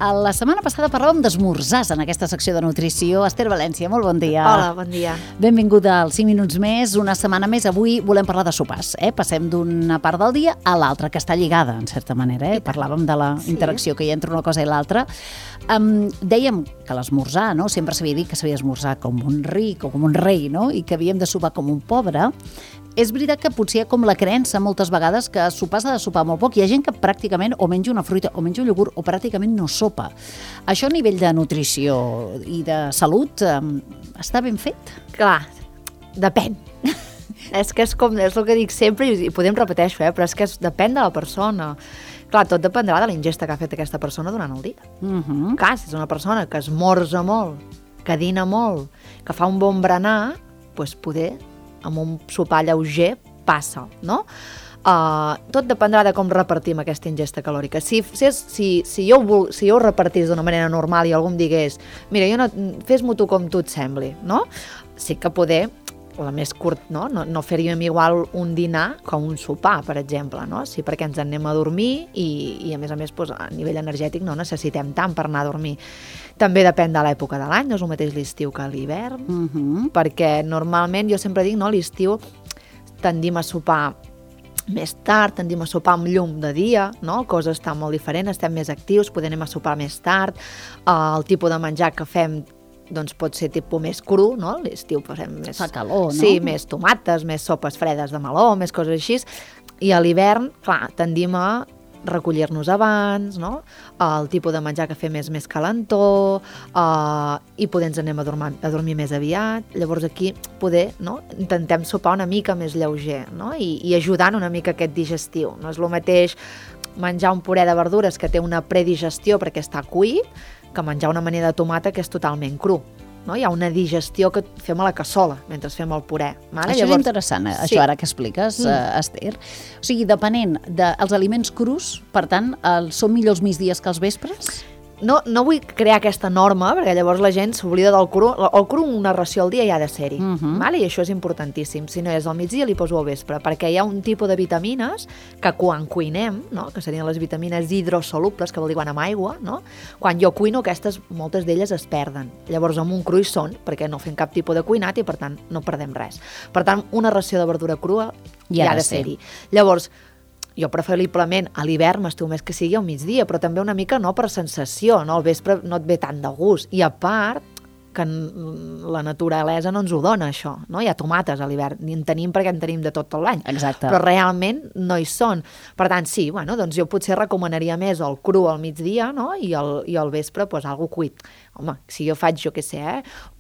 La setmana passada parlàvem d'esmorzars en aquesta secció de nutrició. Esther València, molt bon dia. Hola, bon dia. Benvinguda als 5 minuts més, una setmana més. Avui volem parlar de sopars. Passem d'una part del dia a l'altra, que està lligada, en certa manera. Parlàvem de la interacció que hi ha entre una cosa i l'altra. Dèiem que l'esmorzar, no? Sempre s'havia dit que s'havia d'esmorzar com un ric o com un rei, no? I que havíem de sopar com un pobre. És veritat que potser hi ha com la creença moltes vegades que sopar s'ha de sopar molt poc. Hi ha gent que pràcticament o menja una fruita o menja un iogurt o pràcticament no sopa. Això a nivell de nutrició i de salut està ben fet? Clar, depèn. És que és el que dic sempre i podem repeteixo, però és que depèn de la persona. Clar, tot dependrà de la ingesta que ha fet aquesta persona durant el dia. Clar, si és una persona que esmorza molt, que dina molt, que fa un bon berenar, doncs poder amb un sopar lleuger passa, no? Tot dependrà de com repartim aquesta ingesta calòrica. Si jo ho repartís d'una manera normal i algú em digués mira, fes-m'ho tu com tu et sembli, no? Sí que poder, la més curt, no faríem igual un dinar com un sopar, per exemple, no? Sí, perquè ens en anem a dormir i a més, a nivell energètic no necessitem tant per anar a dormir. També depèn de l'època de l'any, no és el mateix l'estiu que l'hivern, perquè normalment, jo sempre dic, no, l'estiu tendim a sopar més tard, tendim a sopar amb llum de dia, no? La cosa està molt diferent, estem més actius, podem anar a sopar més tard, el tipus de menjar que fem doncs pot ser tipus més cru, no? L'estiu posem més... Fa calor, no? Sí, més tomates, més sopes fredes de meló, més coses així, i a l'hivern, clar, tendim a recollir-nos abans, no? El tipus de menjar que fem és més calentó i poder ens anem a dormir més aviat. Llavors aquí intentem sopar una mica més lleuger, no? I ajudant una mica aquest digestiu. No és el mateix menjar un puré de verdures que té una predigestió perquè està cuit que menjar una amanida de tomata que és totalment cru. No? Hi ha una digestió que fem a la cassola mentre fem el puré. Vale? Això és interessant, això ara que expliques, Esther. O sigui, depenent dels aliments crus, per tant, són millors els migdies que els vespres? No vull crear aquesta norma, perquè llavors la gent s'oblida del cru. El cru, una ració al dia ja ha de ser-hi, vale? I això és importantíssim. Si no és al migdia, li poso al vespre, perquè hi ha un tipus de vitamines que quan cuinem, no? Que serien les vitamines hidrosolubles, que vol dir quan amb aigua, no? Quan jo cuino, moltes d'elles es perden. Llavors, amb un cru hi són, perquè no fem cap tipus de cuinat i, per tant, no perdem res. Per tant, una ració de verdura crua ja ha de ser-hi. Llavors, jo preferiblement a l'hivern m'estiu més que sigui al migdia, però també una mica no per sensació, no? Al vespre no et ve tant de gust. I a part, que la naturalesa no ens ho dona, això, no? Hi ha tomates a l'hivern, ni en tenim perquè en tenim de tot l'any. Exacte. Però realment no hi són. Per tant, sí, doncs jo potser recomanaria més el cru al migdia, no? I al vespre, algo cuit. Home, si jo faig,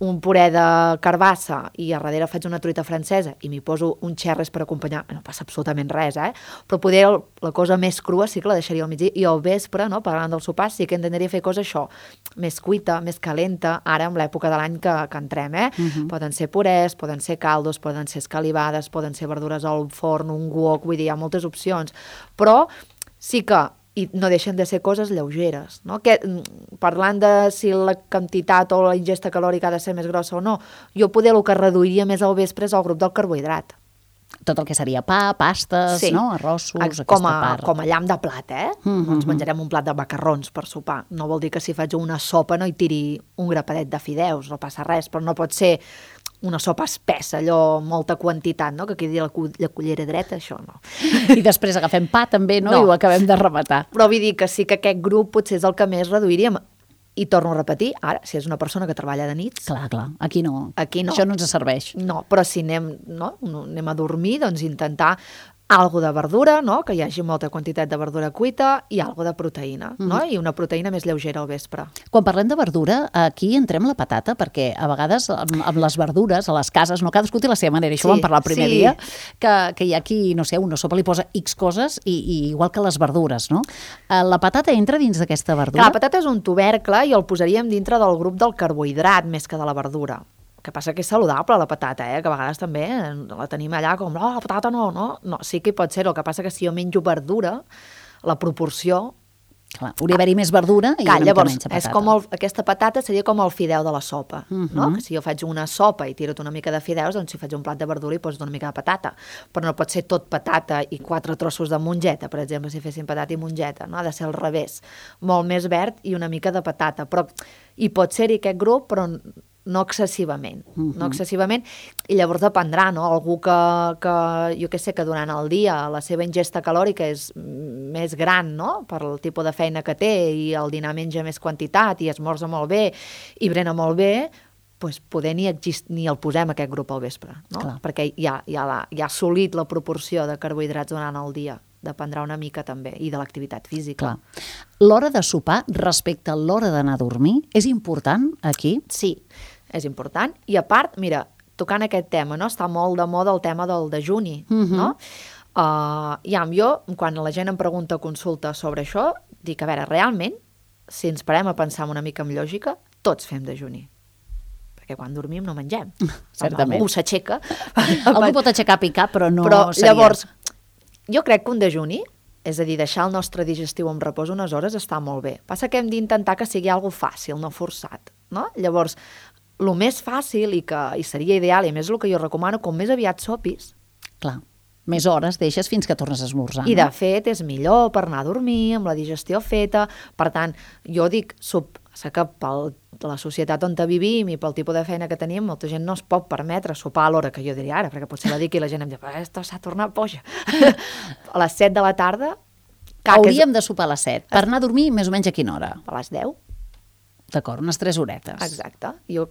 un puré de carbassa i a darrere faig una truita francesa i m'hi poso un xerres per acompanyar, no passa absolutament res, però poder la cosa més crua sí que la deixaria al migdia i al vespre, no? Parlant del sopar, sí que intentaria fer cosa això, més cuita, més calenta, ara amb l'època de l'any que entrem, Poden ser purès, poden ser caldos, poden ser escalivades, poden ser verdures al forn, un wok, vull dir, hi ha moltes opcions, però sí que i no deixen de ser coses lleugeres, no? Parlant de si la quantitat o la ingesta calòrica ha de ser més grossa o no, jo poder el que reduiria més al vespre és el grup del carbohidrat. Tot el que seria pa, pastes, no? Arrossos, aquesta part. Com a llamp de plat, Ens menjarem un plat de macarrons per sopar. No vol dir que si faig una sopa no hi tiri un grapadet de fideus, no passa res, però no pot ser una sopa espessa, allò, molta quantitat, no? Que quedi la cullera dreta, això no. I després agafem pa també, no? I ho acabem de rematar. Però vull dir que sí que aquest grup potser és el que més reduiríem. I torno a repetir, ara, si és una persona que treballa de nits... Clar, aquí no. Això no ens serveix. No, però si anem a dormir, doncs intentar algo de verdura, no? Que hi hagi molta quantitat de verdura cuita i algo de proteïna, no? I una proteïna més lleugera al vespre. Quan parlem de verdura, aquí entrem la patata, perquè a vegades amb les verdures, a les cases, no cadascú té la seva manera, això ho vam parlar el primer dia, que hi ha qui, no sé, una sopa li posa X coses i igual que les verdures, no? La patata entra dins d'aquesta verdura? La patata és un tubercle i el posaríem dintre del grup del carbohidrat més que de la verdura. El que passa que és saludable la patata, que a vegades també la tenim allà com, la patata no, sí que hi pot ser, el que passa que si jo menjo verdura, la proporció Clar, hauria d'haver-hi més verdura i una mica llavors, menys de patata. és com aquesta patata seria com el fideu de la sopa, no? Que si jo faig una sopa i tiro una mica de fideus, doncs si faig un plat de verdura hi poso una mica de patata. Però no pot ser tot patata i 4 trossos de mongeta, per exemple, si fessin patata i mongeta, no? Ha de ser al revés. Molt més verd i una mica de patata. Però hi pot ser-hi aquest grup, però no excessivament, no excessivament, i llavors dependrà, no? Algú que jo què sé, que durant el dia la seva ingesta calòrica és més gran, no? Per el tipus de feina que té i el dinar menja més quantitat i esmorza molt bé i brena molt bé, doncs poder ni el posem aquest grup al vespre, no? Clar. Perquè ja ha assolit la proporció de carbohidrats durant el dia. Dependrà una mica també, i de l'activitat física. Clar. L'hora de sopar respecte a l'hora d'anar a dormir és important aquí? Sí, és important. I a part, mira, tocant aquest tema, no? Està molt de moda el tema del dejuni, no? Jo, quan la gent em pregunta a consulta sobre això, dic, a veure, realment, si ens parem a pensar una mica amb lògica, tots fem dejuni. Perquè quan dormim no mengem. Certament. Algú s'aixeca. Algú pot aixecar a picar, però no seria... Llavors, jo crec que un dejuni, és a dir, deixar el nostre digestiu en repòs unes hores està molt bé. Passa que hem d'intentar que sigui algo fàcil, no forçat, no? Llavors, el més fàcil i seria ideal, i a més el que jo recomano, com més aviat sopis. Clar, més hores deixes fins que tornes a esmorzar. I de fet és millor per anar a dormir, amb la digestió feta. Per tant, jo dic, sé que per la societat on vivim i pel tipus de feina que tenim, molta gent no es pot permetre sopar a l'hora que jo diria ara, perquè potser la dic i la gent em diu, esto s'ha tornat boja. A les 7 de la tarda... Hauríem de sopar a les 7. Per anar a dormir, més o menys a quina hora? A les 10. D'acord, unes 3 horetes. Exacte.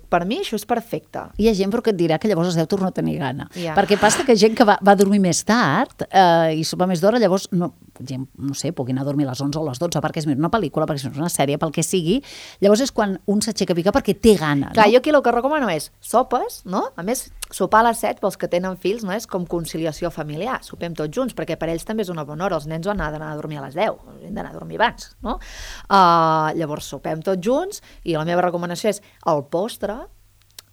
Per mi això és perfecte. Hi ha gent però que et dirà que llavors es deu tornar a tenir gana. Ja. Perquè passa que gent que va dormir més tard i sopa més d'hora, llavors, no sé, pugui anar a dormir a les 11 o a les 12 perquè és una pel·lícula, perquè és una sèrie, pel que sigui, llavors és quan un s'aixeca a picar perquè té gana. Clar, no? jo aquí el que recomano és sopes, no? A més, sopar a les 7 pels que tenen fills no és com conciliació familiar, sopem tots junts, perquè per ells també és una bona hora, els nens han d'anar a dormir a les 10, han d'anar a dormir abans, no? Llavors sopem tots junts i la meva recomanació és el postre,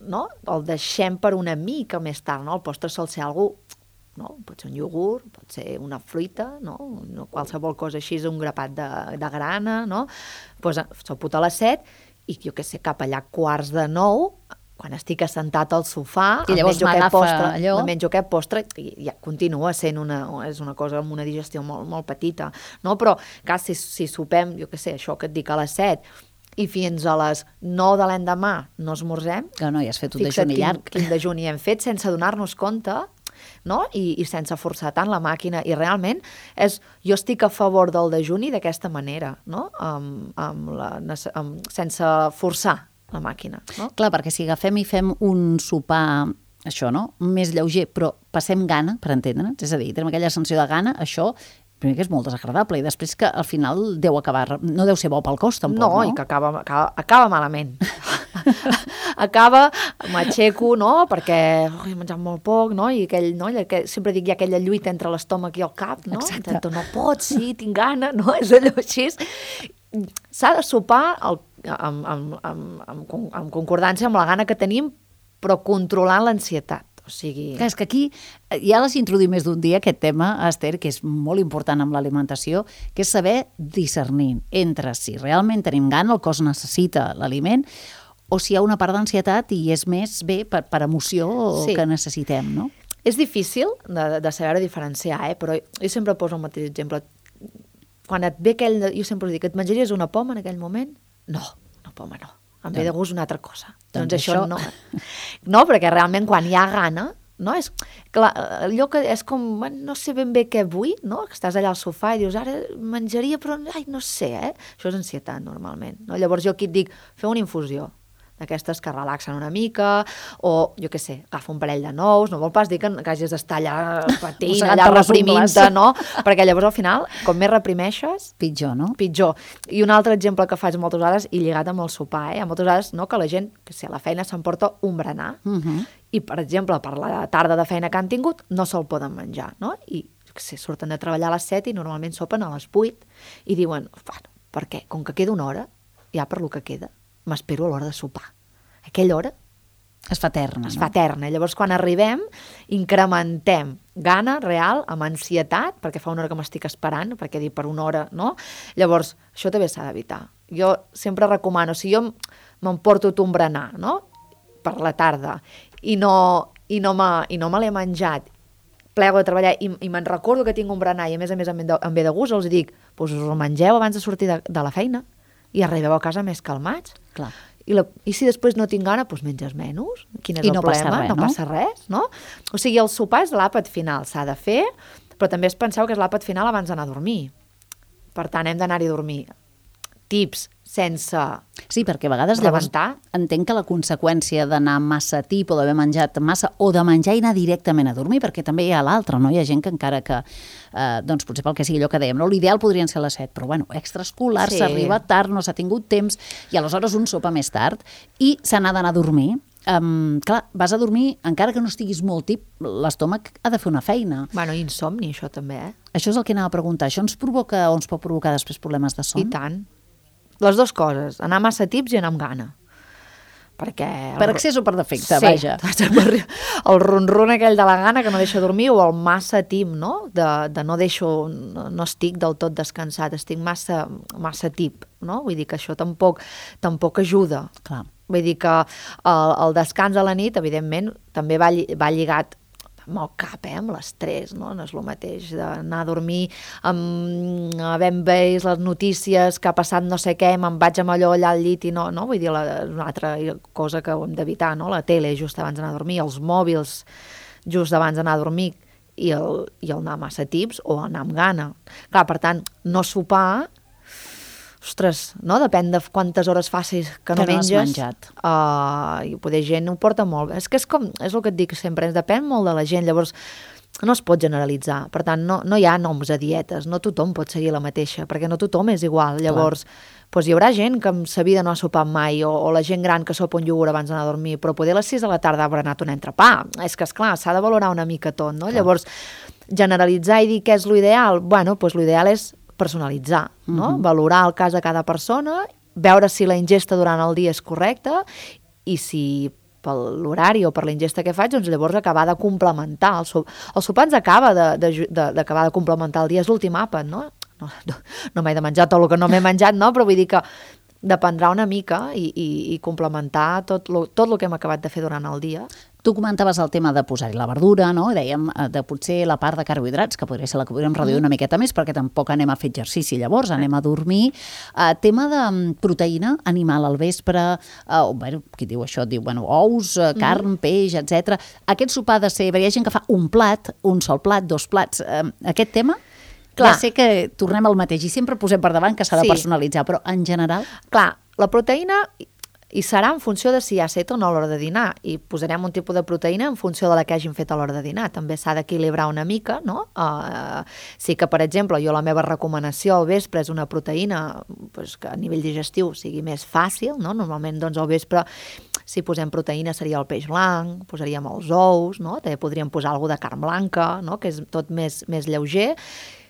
no? El deixem per una mica més tard, no? El postre sol ser algú, no? Pot ser un iogurt, pot ser una fruita, no? Qualsevol cosa així, un grapat de grana, no? Pues, sopo a les 7 i jo què sé, cap allà 8:45, quan estic assentat al sofà, i llavors menjo aquest postre i ja continua sent és una cosa amb una digestió molt, molt petita, no? Però clar, si sopem, jo què sé, això que et dic a les 7 i fins a les 9 de l'endemà no esmorzem, que no, ja has fet un dejuni llarg. Quin dejuni hem fet sense donar-nos compte, no? I sense forçar tant la màquina, i realment jo estic a favor del dejuni d'aquesta manera, no? Sense forçar la màquina, no? Clar, perquè si agafem i fem un sopar, això, no? Més lleuger, però passem gana, per entendre'ns, és a dir, tenim aquella sensació de gana, això primer que és molt desagradable i després que al final no deu ser bo pel cos tampoc, no? I que acaba malament. M'aixeco, no? Perquè he menjat molt poc, no? I sempre dic, hi ha aquella lluita entre l'estómac i el cap, no? Exacte. No pots, sí, tinc gana, no? És allò així. S'ha de sopar en concordància amb la gana que tenim, però controlant l'ansietat. O sigui... Clar, és que aquí ja l'has introduït més d'un dia, aquest tema, Esther, que és molt important amb l'alimentació, que és saber discernir entre si realment tenim gana, el cos necessita l'aliment, o si hi ha una part d'ansietat i és més bé per emoció que necessitem, no? És difícil de saber diferenciar, però jo sempre poso el mateix exemple. Quan et ve jo sempre dic, et menjaries una poma en aquell moment? No, una poma no. Em ve de gust una altra cosa. Doncs això no. No, perquè realment quan hi ha gana, no? És, clar, allò que és com, no sé ben bé què vull, no? Que estàs allà al sofà i dius, ara menjaria, però no sé, Això és ansietat, normalment. No? Llavors jo aquí et dic, feu una infusió d'aquestes que relaxen una mica, o, jo què sé, agafa un parell de nous, no vol pas dir que hagis d'estar allà patint, allà reprimint-te, no? Perquè llavors al final, com més reprimeixes... Pitjor, no? Pitjor. I un altre exemple que faig moltes vegades, i lligat amb el sopar, moltes vegades, no?, que la gent, que si a la feina s'emporta un berenar, i, per exemple, per la tarda de feina que han tingut, no se'l poden menjar, no? I, jo què sé, surten de treballar a les 7 i normalment sopen a les 8, i diuen, per què? Com que queda una hora, ja per lo que queda, m'espero a l'hora de sopar. Aquella hora Es fa eterna, es fa eterna. Llavors, quan arribem, incrementem gana real amb ansietat, perquè fa una hora que m'estic esperant, perquè dir per una hora, no? Llavors, això també s'ha d'evitar. Jo sempre recomano, si jo m'emporto un berenar, no?, per la tarda, i no me l'he menjat, plego de treballar i me'n recordo que tinc un berenar i a més em ve de gust, els dic, us ho mengeu abans de sortir de la feina i arribeu a casa més calmats. Clar. I si després no tinc gana, doncs menges menys. Quin és el problema? No passa res, no? O sigui, el sopar és l'àpat final, s'ha de fer, però també penseu que és l'àpat final abans d'anar a dormir. Per tant, hem d'anar-hi a dormir. Tips sense sí, perquè a vegades llavors entenc que la conseqüència d'anar massa tip o d'haver menjat massa o de menjar i anar directament a dormir, perquè també hi ha l'altre, no? Hi ha gent que encara que, doncs potser pel que sigui allò que dèiem, no? L'ideal podrien ser les 7, però bueno, extraescolar, s'arriba tard, no s'ha tingut temps i aleshores un sopa més tard i se n'ha d'anar a dormir. Clar, vas a dormir, encara que no estiguis molt tip, l'estómac ha de fer una feina. Bueno, insomni, això també, Això és el que anava a preguntar. Això ens provoca o ens pot provocar després problemes de son? I tant. Les dues coses, anar massa tips i anar amb gana. Perquè... Per excés o per defecte, vaja. El ronron aquell de la gana que no deixa dormir o el massa tip, no? De no estic del tot descansat, estic massa tip, no? Vull dir que això tampoc ajuda. Clar. Vull dir que el descans a la nit, evidentment, també va lligat amb el cap, amb l'estrès, no? No és el mateix d'anar a dormir havent vist les notícies que ha passat no sé què, me'n vaig amb allò allà al llit i no? Vull dir, una altra cosa que hem d'evitar, no? La tele just abans d'anar a dormir, els mòbils just abans d'anar a dormir i el anar massa tips o anar amb gana. Clar, per tant, no sopar... Ostres, no? Depèn de quantes hores facis que no menges. No has menjat. I poder gent ho porta molt. És que és el que et dic sempre, depèn molt de la gent, llavors no es pot generalitzar. Per tant, no hi ha noms a dietes, no tothom pot seguir la mateixa, perquè no tothom és igual. Llavors, doncs hi haurà gent que amb sa vida no ha sopat mai, o la gent gran que sopa un iogurt abans d'anar a dormir, però poder a les 6 de la tarda haurà anat un entrepà. És que, esclar, s'ha de valorar una mica tot, no? Clar. Llavors, generalitzar i dir què és l'ideal, bueno, doncs l'ideal és personalitzar, no? Valorar el cas de cada persona, veure si la ingesta durant el dia és correcta i si per l'horari o per la ingesta que faig, doncs llavors acabar de complementar. El sopar ens acaba d'acabar de complementar el dia, és l'últim àpat, no? No m'he de menjar tot el que no m'he menjat, no? Però vull dir que dependrà una mica i complementar tot el que hem acabat de fer durant el dia. Tu comentaves el tema de posar-hi la verdura, no? Dèiem de potser la part de carbohidrats, que podria ser la que podríem reduir una miqueta més, perquè tampoc anem a fer exercici llavors, anem a dormir. Tema de proteïna animal al vespre, bueno, qui diu això? Diu, bueno, ous, carn, peix, etc. Aquest sopar ha de ser... Hi ha gent que fa un plat, un sol plat, 2 plats. Aquest tema... Clar. Ja sé que tornem al mateix i sempre posem per davant que s'ha de personalitzar, però en general... Clar, la proteïna hi serà en funció de si hi ha set o no a l'hora de dinar i posarem un tipus de proteïna en funció de la que hagin fet a l'hora de dinar. També s'ha d'equilibrar una mica, no? Sí que, per exemple, jo la meva recomanació al vespre és una proteïna que a nivell digestiu sigui més fàcil, no? Normalment, doncs, al vespre, si posem proteïna seria el peix blanc, posaríem els ous, no? També podríem posar alguna de carn blanca, no? Que és tot més lleuger.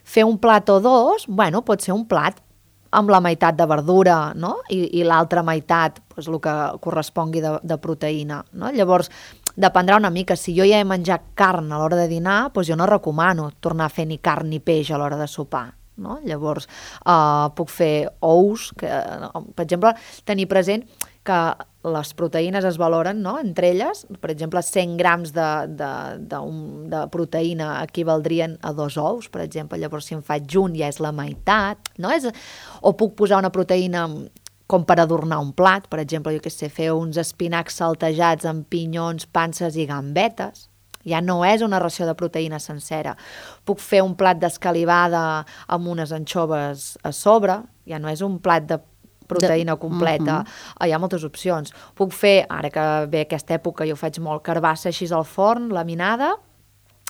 Fer un plat o dos, bueno, pot ser un plat amb la meitat de verdura, no? I l'altra meitat, doncs, el que correspongui de proteïna, no? Llavors, dependrà una mica. Si jo ja he menjat carn a l'hora de dinar, doncs jo no recomano tornar a fer ni carn ni peix a l'hora de sopar, no? Llavors, puc fer ous, que, per exemple, tenir present que les proteïnes es valoren, no? Entre elles, per exemple, 100 grams de proteïna equivaldrien a 2 ous, per exemple. Llavors, si en faig un ja és la meitat, no? O puc posar una proteïna com per adornar un plat, per exemple, jo què sé, fer uns espinacs saltejats amb pinyons, panses i gambetes. Ja no és una ració de proteïna sencera. Puc fer un plat d'escalivada amb unes anxoves a sobre, ja no és un plat de proteïna completa. Hi ha moltes opcions. Puc fer, ara que ve aquesta època, jo faig molt carbassa així al forn, laminada,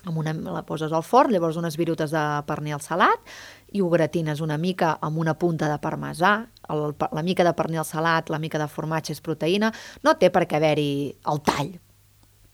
la poses al forn, llavors unes virutes de pernil salat i ho gratines una mica amb una punta de parmesà. La mica de pernil salat, la mica de formatge és proteïna. No té per què haver-hi el tall.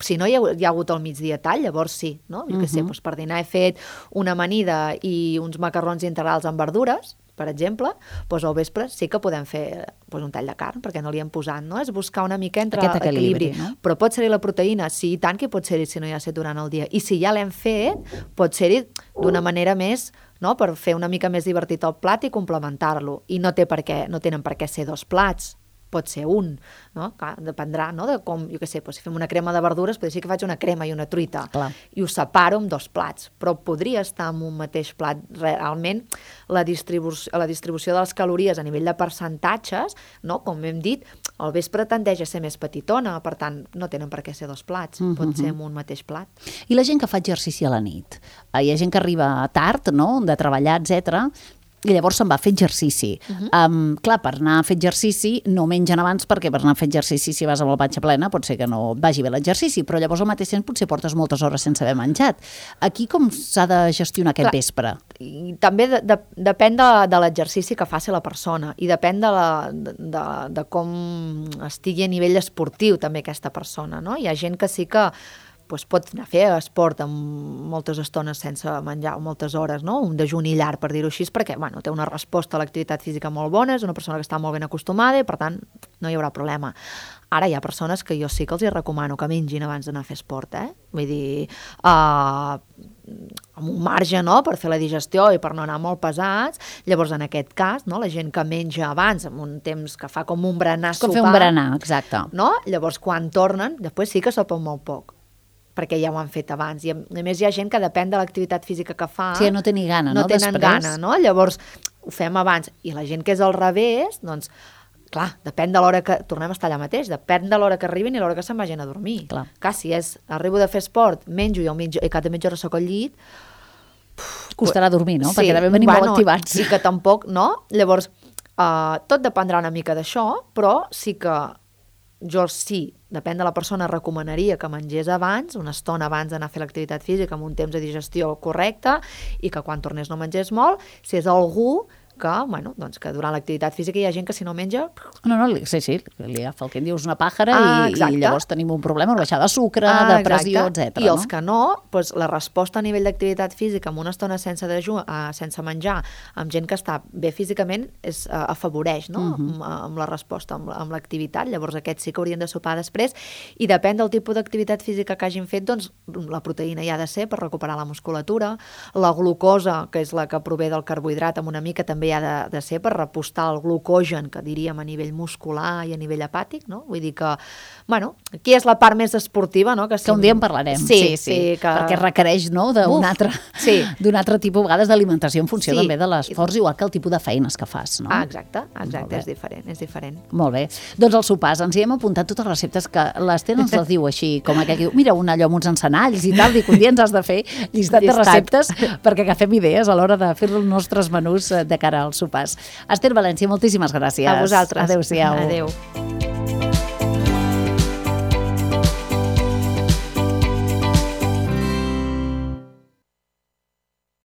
Si no hi ha hagut al migdia tall, llavors sí, no? Jo què sé, doncs per dinar he fet una amanida i uns macarrons integrals amb verdures, per exemple, doncs al vespre sí que podem fer un tall de carn, perquè no li hem posat, no? És buscar una mica entre aquest equilibri, no? Però pot ser-hi la proteïna, sí, i tant que pot ser-hi si no hi ha set durant el dia. I si ja l'hem fet, pot ser-hi d'una manera més, no? Per fer una mica més divertit el plat i complementar-lo. I no tenen per què ser 2 plats, pot ser un, no? Clar, dependrà, no? De com, jo què sé, si fem una crema de verdures, potser sí que faig una crema i una truita. Clar. I ho separo en 2 plats, però podria estar en un mateix plat. Realment, la distribució de les calories a nivell de percentatges, no? Com hem dit, al vespre tendeix a ser més petitona, per tant, no tenen per què ser 2 plats, pot ser en un mateix plat. I la gent que fa exercici a la nit? Hi ha gent que arriba tard, no?, de treballar, etc. I llavors se'n va a fer exercici. Clar, per anar a fer exercici no mengen abans, perquè per anar a fer exercici, si vas amb la panxa plena, pot ser que no vagi bé l'exercici, però llavors al mateix temps potser portes moltes hores sense haver menjat. Aquí com s'ha de gestionar aquest vespre? I també depèn de l'exercici que faci la persona i depèn de com estigui a nivell esportiu també aquesta persona, no? Hi ha gent que sí que pot anar a fer esport amb moltes estones sense menjar, o moltes hores, no? Un dejuni llarg, per dir-ho així, perquè té una resposta a l'activitat física molt bona, és una persona que està molt ben acostumada i, per tant, no hi haurà problema. Ara hi ha persones que jo sí que els recomano que mengin abans d'anar a fer esport, Vull dir, amb un marge, no?, per fer la digestió i per no anar molt pesats. Llavors, en aquest cas, no?, la gent que menja abans, amb un temps que fa com un berenar sopar... Com fer un berenar, exacte. No? Llavors, quan tornen, després sí que sopen molt poc, perquè ja ho han fet abans. I a més hi ha gent que depèn de l'activitat física que fa... Sí, no té ni gana, no? No tenen gana, no? Llavors ho fem abans. I la gent que és al revés, doncs, clar, depèn de l'hora que... Tornem a estar allà mateix, depèn de l'hora que arribin i l'hora que se'n vagin a dormir. Clar, si arribo de fer esport, menjo i cada mitja hora soc al llit... Costarà dormir, no? Sí, perquè també venim molt activats. Sí que tampoc, no? Llavors, tot dependrà una mica d'això, però sí que jo depèn de la persona, recomanaria que mengés abans, una estona abans d'anar a fer l'activitat física amb un temps de digestió correcte i que quan tornés no mengés molt. Si és algú que, doncs que durant l'activitat física hi ha gent que si no menja... No, sí, li agafa el que en dius una pàjara i llavors tenim un problema, una baixada de sucre, de pressió, etc. I els que no, doncs la resposta a nivell d'activitat física amb una estona sense menjar, amb gent que està bé físicament, afavoreix, no?, amb la resposta, amb l'activitat. Llavors aquests sí que haurien de sopar després i depèn del tipus d'activitat física que hagin fet, doncs la proteïna hi ha de ser per recuperar la musculatura, la glucosa, que és la que prové del carbohidrat, amb una mica també ha de ser per repostar el glucogen, que diríem a nivell muscular i a nivell hepàtic, no? Vull dir que, aquí és la part més esportiva, no? Que un dia en parlarem, sí, perquè requereix, no?, d'un altre tipus, a vegades, d'alimentació en funció també de l'esforç, igual que el tipus de feines que fas, no? Exacte, és diferent. Molt bé. Doncs als sopars ens hi hem apuntat totes les receptes que l'Ester ens les diu així, com aquell que diu, mira, allò amb uns encenalls i tal, dic, un dia ens has de fer llistat de receptes perquè agafem idees a l'hora de fer els nostres menús de cara als sopars. Ester València, moltíssimes gràcies. A vosaltres. Adéu-siau. Adéu.